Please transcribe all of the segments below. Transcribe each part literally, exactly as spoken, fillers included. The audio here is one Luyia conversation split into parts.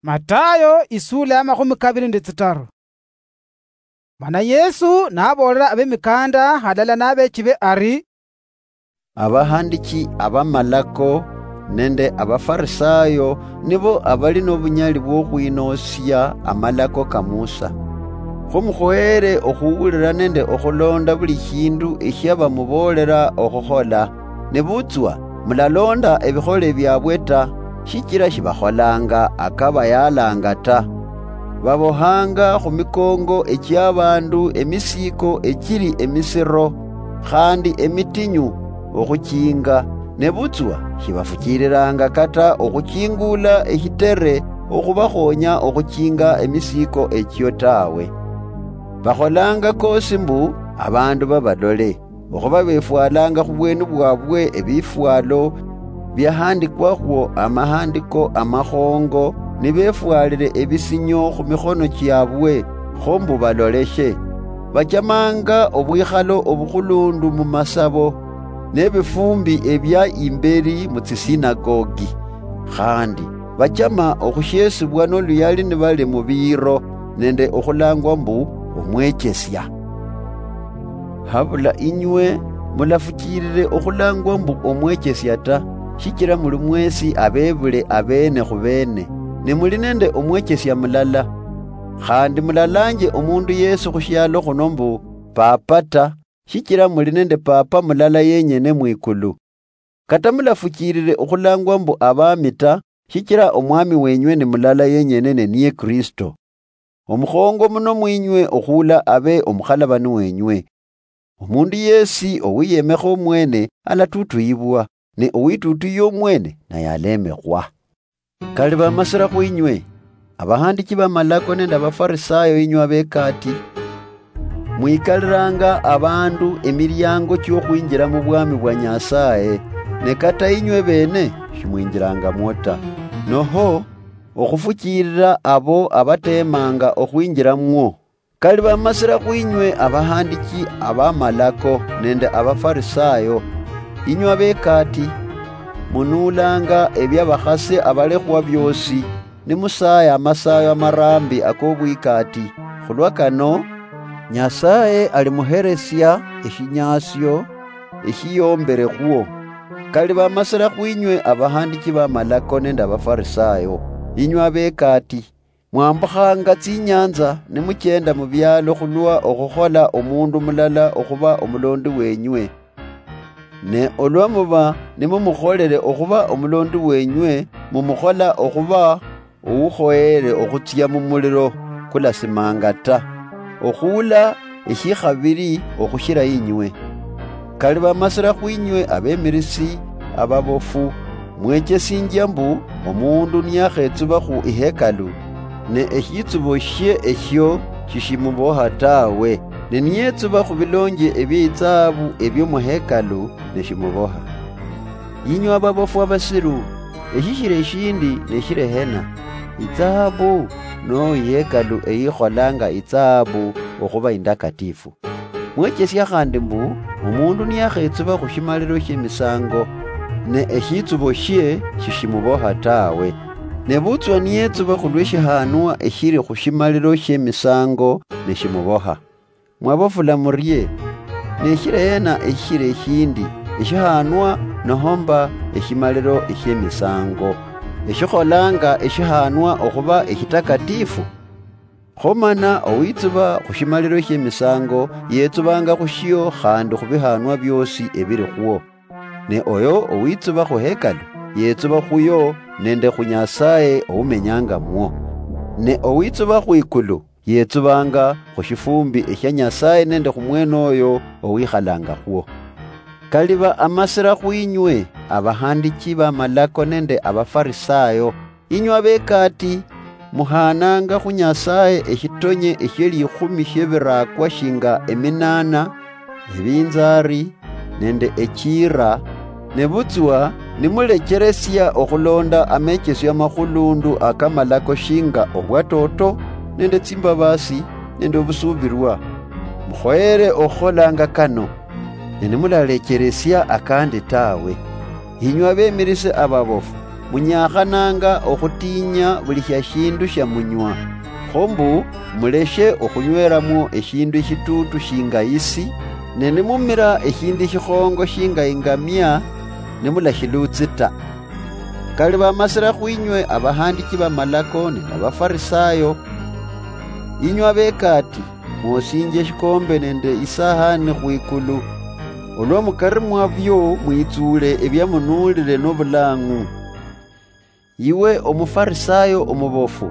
Matayo isuula ya makhumi kabiri nende tsitaru. Mana Yesu naboolera abemikanda halala nabeechibe ari, "Abahandichi abamalako nende Abafarisayo nibo abali nobunyali bwokhwinoosia amalako ka Musa. Kho mukhoyere okhuwulira nende okhulonda buli shindu eshia bamuboolera okhukhola, nebutswa mulalonda ebikhole biabwe ta, shichira shibakholanga akabayaalanga ta. Babohanga khumikongo echiabandu emisiiko echili emisiro khandi emitinyu okhuchinga, nebutswa shibafuchiililanga kata okhuchingula eshitere okhubakhonya okhuchinga emisiiko echio tawe. Bakholanga kosi mbu abandu babalole, okhuba befwalanga khubweni bwabwe ebifwalo biahandikwakho amahandiko amakhongo, nibefwalile ebisinyo khumikhono chiabwe, kho mbu baloleshe. Bachamanga obwikhalo obukhulundu mumasabo, nebifumbi ebia imbeli mutsisinagogi. Khandi bachama okhushiesibwa noluyali nibali mubiiro nende okhulangwa mbu omwechesia. Habula inywe mulafuchilile okhulangwa mbu omwechesia ta, shichila muli mwesi abebule abeene khubeene, ne muli nende omwechesia mulala. Khandi mulalanje omundu yesi khushialo khuno mbu Papa ta, shichila muli nende Papa mulala yenyene mwikulu. Kata mulafuchilile okhulangwa mbu abaami ta, shichila Omwami wenywe ni mulala yenyene, ne niye Kristo. Omukhongo muno mwinywe okhula abe omukhalabani wenywe. Omundu yesi owiyemekha omwene alatutuyibwa, ne owitutuyia omwene naye alemekhwa. Kali bamasira khwinywe, abahandichi bamalako nende Abafarisayo inywe abekaati, mwikalilanga abandu emiliango chiokhwinjila mubwami bwa Nyasaye, ne kata inywe bene shimwinjilangamwo ta. Noho okhufuchilila abo abatemanga okhwinjilamwo. Kali bamasira khwinywe abahandichi abamalako nende Abafarisayo, inywe abekaati, munuulanga ebiabakhasi abalekhwa biosi, nimusaaya amasaayo amaraambi akobwikaati. Khulwa kano, Nyasaye alimuheresia eshinyaasio eshiyombelekhwo. Kali bamasira khwinywe abahandichi bamalako nende Abafarisayo, inywe abekaati, mwambukhanga tsinyanza nimuchenda mubialo khulwa okhukhola omundu mulala okhuba omulondi wenywe. Ne olwa muba nimumukholele okhuba omulondi wenywe, mumukhola okhuba oukhoyele okhutsia mumulilo kulasimanga ta, okhuula eshikhabili okhushila inywe. Kali bamasira khwinywe abemirisi ababofu, mwechesinjia mbu omundu niyakhetsuba khu ihekalu, ne eshitsubo shie eshio shishimuboha tawe, ne niyetsuba khubilonje ebie itsahabu ebio muhekalu, neshimuboha. Yinywe ababofu abasiru, eshishira eshindi neshira ehena, itsahabu no ihekalu eyikholanga itsahabu okhuba indakatifu? Mwechesia khandi mbu, omundu niyakhetsuba khushimalilo shiemisango, ne eshitsubo shie shishimuboha tawe. Nebutswa niyetsuba khulwe shihanwa eshiri khushimalilo shiemisango, neshimuboha. Mwabofula murie? Neshira hena eshishira eshindi, eshihanwa nohomba eshimalilo eshiemisango, eshikholanga eshihanwa okhuba eshitakatifu? Kho mana owitsuba khushimalilo shiemisango yetsubanga khushio khandi khubihanwa biosi ebili khwo. Ne oyo owitsuba khuhekalu yetsuba khuyo nende khu Nyasaye oumenyangamwo. Ne owitsuba khwikulu yetsubanga khushifumbi eshia Nyasaye nende khumwenoyo owikhalangakhwo. Kaliba amasira khwinywe abahandichi bamalako nende Abafarisayo, inywe abekaati, muhaananga khu Nyasaye eshitonye eshie likhumi shie birakwa shinga eminana, ebinzari, nende echiira, nebutswa nimulecheresia okhulonda amechesio amakhulundu akamalako shinga obwatoto, nende tsimbabasi, nende obusuubirwa. Mukhoyere okhukholanga kano, ne nimulalecheresia akandi tawe. Inywe abemirise ababofu, munyakhananga okhutiinya buli shia shindu shia munywa. Kho mbu, muleshe okhunywelamwo eshindu eshituutu shinga isi, ne nimumira eshindu eshikhongo shinga ingamia, nimulashilutsi ta. Kali bamasira khwinywe abahandichi bamalako nende abafarisayo, inywe abekaati, mwosinje eshikombe nende isahani khwikulu, olwa mukari mwabyo mwitsuule ebia munuulire nobulang'u. Iwe omufarisayo omubofu,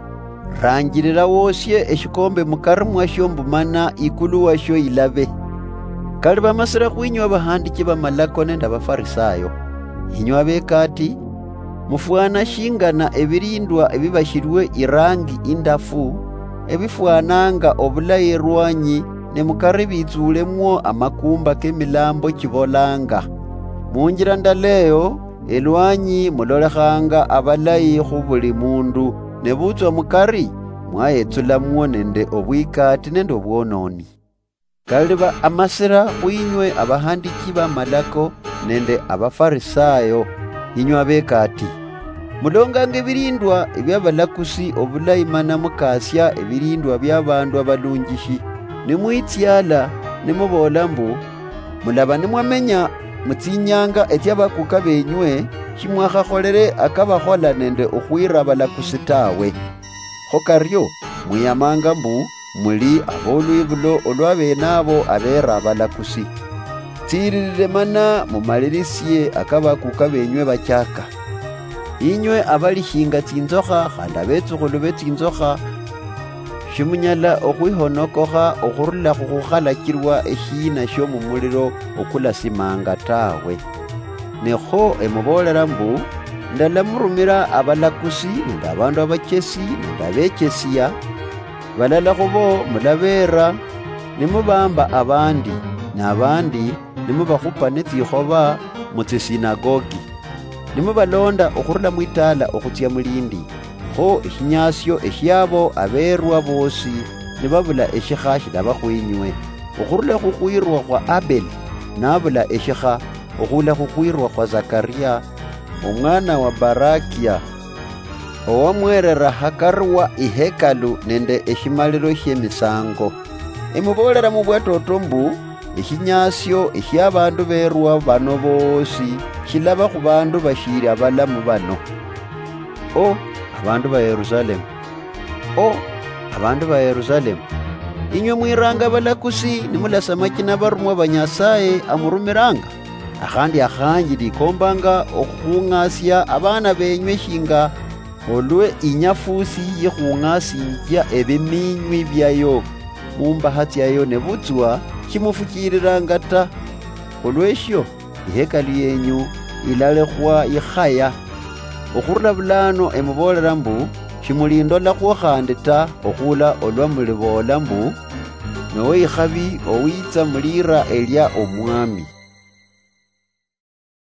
ranjirira wosie eshikombe mukari mwasho mbu mana ikulu washo ilabe. Kali bamasira khwinywe abahandichi bamalako nende abafarisayo, inywe abekaati, mufwana shingana ebirindwa ebibashirwe irangi indafu, ebifwananga obulayi erwanyi, ne mukari bitsuulemwo amakumba kemilambo chibolanga. Munjira ndala eyo, elwanyi mulolekhanga abalayi khu buli mundu, nebutswa mukari, mwayetsulamwo nende obwikati nende obwononi. Kali ba amasira khwinywe abahandichi bamalako nende abafarisayo, inywe abekaati, mulonganga ebirindwa ebiabalakusi obulayi mana mukaasia ebirindwa biabandu abalunjishi, nimwitsiala, nimuboola mbu, mulaba nimwamenya mutsinyanga etsiabakuka benywe, shimwakhakholere akabakhola nende okhwira abalakusi tawe. Kho kario, mwiyamanga mbu muli abolwibulo olwa bene abo abera abalakusi. Tsiririre mana mumalirisie akabakuka benywe bachaka. Inywe abali shinga tsinzokha khandi abetsukhulu be tsinzokha, shimunyala okhwihonokokha okhurula khukhukhalachirwa eshiina shio mumuliro okulasimanga tawe. Ne kho emuboolera mbu, ndalamurumira abalakusi nende abandu abachesi nende abechesia, balala khubo mulabeera, nimubamba abandi, nabandi nimubakhupa netsikhoba mutsisinagogi. Nimubalonda okhurula mwitaala okhutsia mulindi, kho eshinyasio eshiabo abeerwa boosi nibabula eshikha shilaba khwinywe. Okhurula khukhwirwa khwa Abeli nabula eshikha, okhula khukhwirwa khwa Zakaria, omwana wa Barakia, owamwerera hakari wa ihekalu nende eshimaliro shiemisango. Emuboolera mubwatoto mbu, eshinyasio eshiabandu berwa bano boosi shilaba khubandu bashiri abalamu bano. O, abandu ba Yerusalemu! O, abandu ba Yerusalemu! Inywe mwiranga abalakusi nimulasa amachina abarumwa ba Nyasaye amurumiranga, akhandi akhanji ndikombanga okhung'asia abana benywe shinga olwe inyafusi yikhung'asinjia ebiminywi biayo mumbaha tsiayo, nebutswa shimufuchirilanga ta. Olweshio, ihekalu yenyu ilalekhwa ikhaya. Okhurula bulano emuboolera mbu, shimulindolakhwo khandi ta okhula olwa muliboola mbu, nowe ikhabi owitsa mulira elia Omwami.